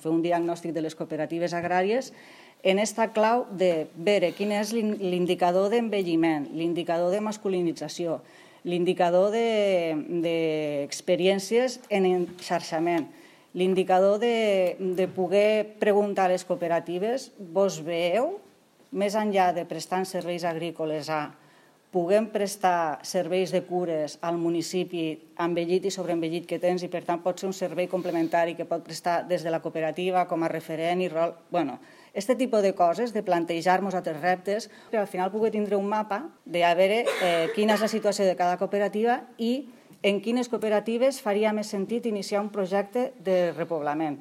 fer un diagnòstic de les cooperatives agràries en esta clau de veure quin és l'indicador d'envelliment, l'indicador de masculinització, l'indicador d'experiències en enxarxament, l'indicador de poder preguntar a les cooperatives, vos veieu, més enllà de prestar serveis agrícoles puguem prestar serveis de cures al municipi envellit i sobreenvellit que tens i per tant pot ser un servei complementari que pot prestar des de la cooperativa com a referent i rol. Aquest tipus de coses, de plantejar-nos altres reptes, per al final poder tindre un mapa de veure quina és la situació de cada cooperativa i en quines cooperatives faria més sentit iniciar un projecte de repoblament.